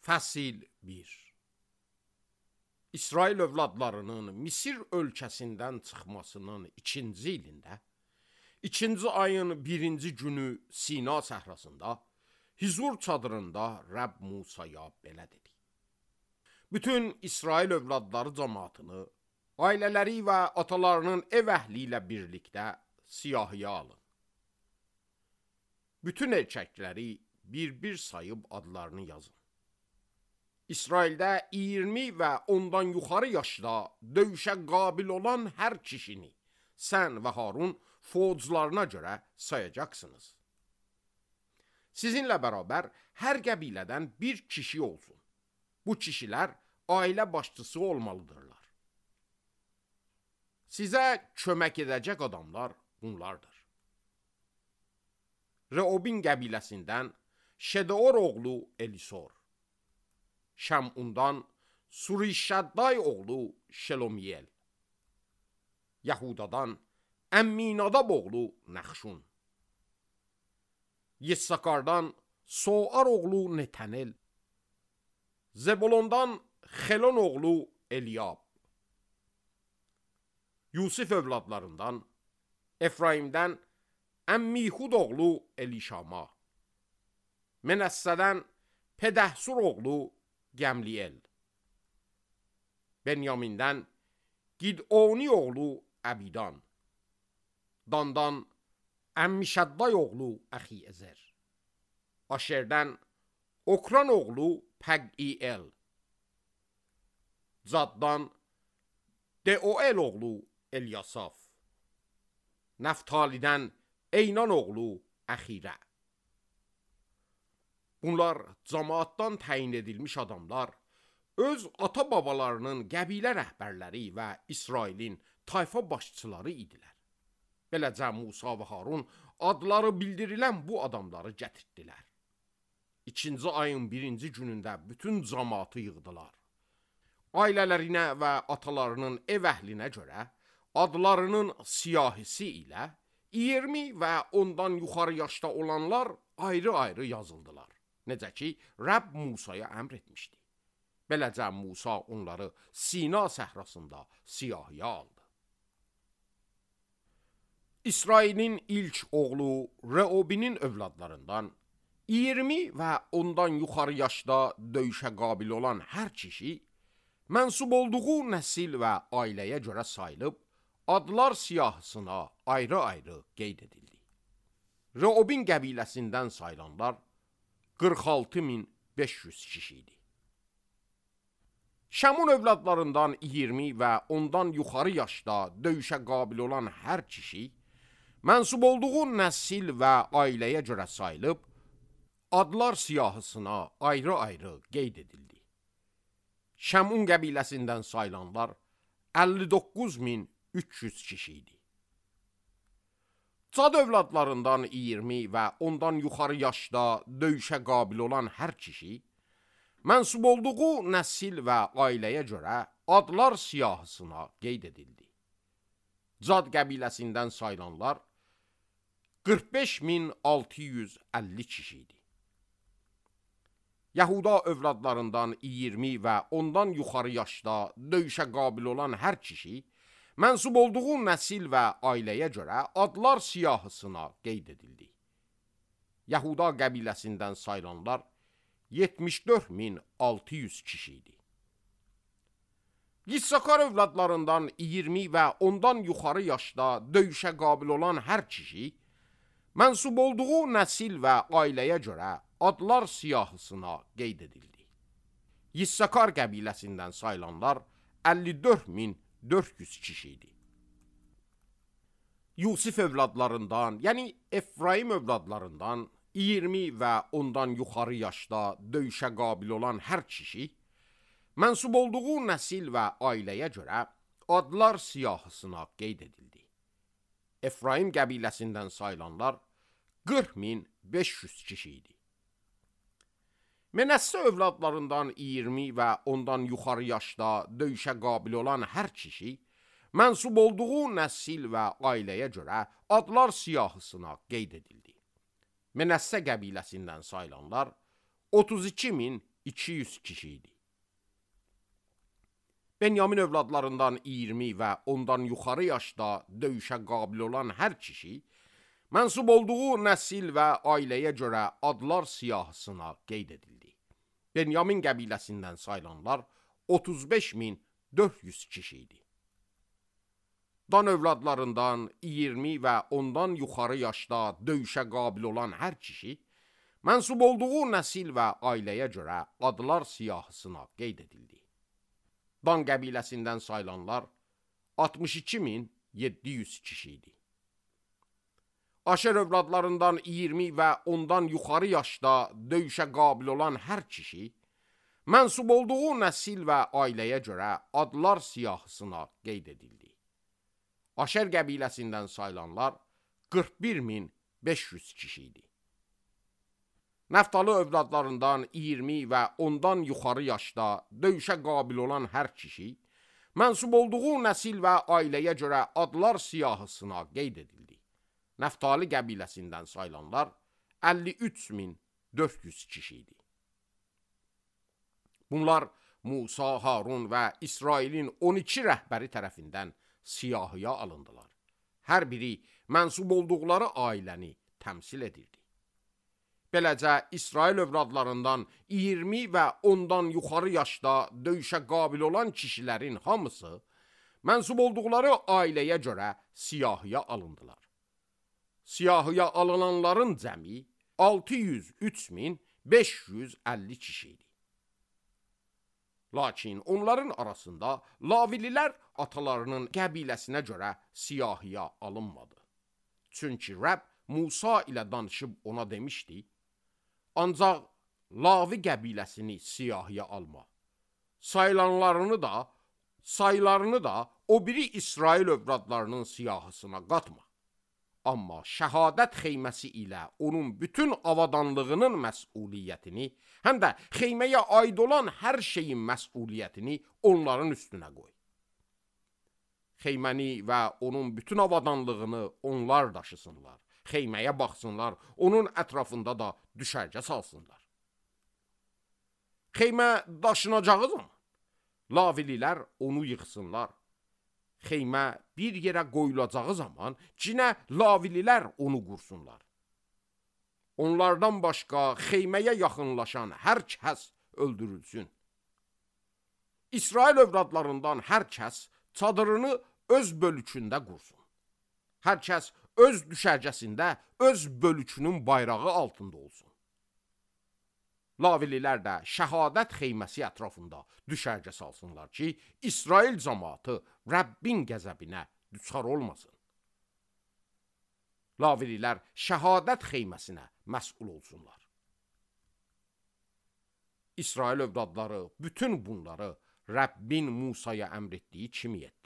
Fəsil 1. İsrail övladlarının Misir ölkəsindən çıxmasının 2-ci ilində, 2-ci ayın 1-ci günü Sina səhrasında, Hizur çadırında Rəbb Musaya belə dedi. Bütün İsrail övladları cəmaatını, ailələri və atalarının ev əhli ilə birlikdə siyahıya alın. Bütün erkəkləri bir-bir sayıb adlarını yazın. İsraildə 20 və ondan yuxarı yaşda döyüşə qabil olan hər kişini sən və Harun fozlarına görə sayacaqsınız. Sizinlə bərabər hər qəbilədən bir kişi olsun. Bu kişilər ailə başçısı olmalıdırlar. Sizə kömək edəcək adamlar bunlardır. Reobin qəbiləsindən Şedeor oğlu Elisor, Şəmundan Surişədday oğlu Şelomiyel, Yahudadan Əmminadab oğlu Nəxşun, Yissakardan Soar oğlu Netanel, Zebulondan Xelon oğlu Eliyab, Yusif övladlarından Efraimdən Əmmihud oğlu Elişama, Menəssədən Pedəhsur oğlu Gəmliyel, Benyamindən Gidoni oğlu Əbidan, Dandan Əmmişədday oğlu Əxiyəzər, Aşerdən Okran oğlu Pəq'iel, Zaddan Deoel oğlu Elyasaf, Nəftalidən Eynan oğlu Əxirə. Bunlar cəmaatdan təyin edilmiş adamlar, öz ata-babalarının qəbilə rəhbərləri və İsrailin tayfa başçıları idilər. Beləcə Musa və Harun adları bildirilən bu adamları gətirdilər. 2-ci ayın 1-ci günündə bütün cəmaatı yığdılar. Ailələrinə və atalarının ev əhlinə görə adlarının siyahisi ilə 20 və ondan yuxarı yaşda olanlar ayrı-ayrı yazıldılar. Necə ki, Rəbb Musaya əmr etmişdi. Beləcə Musa onları Sina səhrasında siyahıya aldı. İsrailin ilk oğlu Reobinin övladlarından 20 və ondan yuxarı yaşda döyüşə qabil olan hər kişi, mənsub olduğu nəsil və ailəyə görə sayılıb, adlar siyahısına ayrı-ayrı qeyd edildi. Reobin qəbiləsindən sayılanlar 46.500 kişi idi. Şəmun övladlarından 20 və ondan yuxarı yaşda döyüşə qabil olan hər kişi, mənsub olduğu nəsil və ailəyə görə sayılıb, adlar siyahısına ayrı-ayrı qeyd edildi. Şəmun qəbiləsindən sayılanlar 59.300 kişi idi. Cad övladlarından 20 və ondan yuxarı yaşda döyüşə qabil olan hər kişi, mənsub olduğu nəsil və ailəyə görə adlar siyahısına qeyd edildi. Cad qəbiləsindən sayılanlar 45.650 kişi idi. Yahuda övladlarından 20 və ondan yuxarı yaşda döyüşə qabil olan hər kişi, mənsub olduğu nəsil və ailəyə görə adlar siyahısına qeyd edildi. Yahuda qəbiləsindən sayılanlar 74.600 kişi idi. Yissakar övladlarından 20 və ondan yuxarı yaşda döyüşə qabil olan hər kişi, mənsub olduğu nəsil və ailəyə görə adlar siyahısına qeyd edildi. Yissakar qəbiləsindən sayılanlar 54.400 kişi idi. Yusif övladlarından, yəni Efraim övladlarından 20 və ondan yuxarı yaşda döyüşə qabil olan hər kişi, mənsub olduğu nəsil və ailəyə görə adlar siyahısına qeyd edildi. Efraim qəbiləsindən sayılanlar 40.500 kişi idi. Menəssə övladlarından 20 və ondan yuxarı yaşda döyüşə qabil olan hər kişi, mənsub olduğu nəsil və ailəyə görə adlar siyahısına qeyd edildi. Menəssə qəbiləsindən sayılanlar 32.000 200 kişi idi. Benyamin övladlarından 20 və ondan yuxarı yaşda döyüşə qabil olan hər kişi, mənsub olduğu nəsil və ailəyə görə adlar siyahısına qeyd edildi. Benyamin qəbiləsindən sayılanlar 35.400 kişi idi. Dan övladlarından 20 və ondan yuxarı yaşda döyüşə qabil olan hər kişi, mənsub olduğu nəsil və ailəyə görə adlar siyahısına qeyd edildi. Dan qəbiləsindən sayılanlar 62.700 kişi idi. Aşer övladlarından 20 və ondan yuxarı yaşda döyüşə qabil olan hər kişi, mənsub olduğu nəsil və ailəyə görə adlar siyahısına qeyd edildi. Aşer qəbiləsindən sayılanlar 41.500 kişi idi. Nəftali övladlarından 20 və ondan yuxarı yaşda döyüşə qabil olan hər kişi, mənsub olduğu nəsil və ailəyə görə adlar siyahısına qeyd edildi. Nəftali qəbiləsindən sayılanlar 53.400 kişi idi. Bunlar Musa, Harun və İsrailin 12 rəhbəri tərəfindən siyahıya alındılar. Hər biri mənsub olduqları ailəni təmsil edirdi. Beləcə, İsrail övladlarından 20 və ondan yuxarı yaşda döyüşə qabil olan kişilərin hamısı mənsub olduqları ailəyə görə siyahıya alındılar. Siyahıya alınanların cəmi 603.550 kişi idi. Lakin onların arasında Lavililər atalarının qəbiləsinə görə siyahıya alınmadı. Çünki Rəbb Musa ilə danışıb ona demişdi, ancaq Lavi qəbiləsini siyahıya alma. Sayılarını da o biri İsrail övladlarının siyahısına qatma. Amma şəhadət xeyməsi ilə onun bütün avadanlığının məsuliyyətini, həm də xeyməyə aid olan hər şeyin məsuliyyətini onların üstünə qoy. Xeyməni və onun bütün avadanlığını onlar daşısınlar. Xeyməyə baxsınlar, onun ətrafında da düşərgə salsınlar. Xeymə daşınacağı zaman Lavililər onu yıxsınlar. Xeymə bir yerə qoyulacağı zaman cinə Lavililər onu qursunlar. Onlardan başqa xeyməyə yaxınlaşan hər kəs öldürülsün. İsrail övladlarından hər kəs çadırını öz bölükündə qursun. Hər kəs öz düşərgəsində öz bölükünün bayrağı altında olsun. Lavililər də şəhadət xeyməsi ətrafında düşərgə salsınlar ki, İsrail cəmaatı Rəbbin qəzəbinə düçar olmasın. Lavililər şəhadət xeyməsinə məsul olsunlar. İsrail övladları bütün bunları Rəbbin Musaya əmr etdiyi kimi etdilər.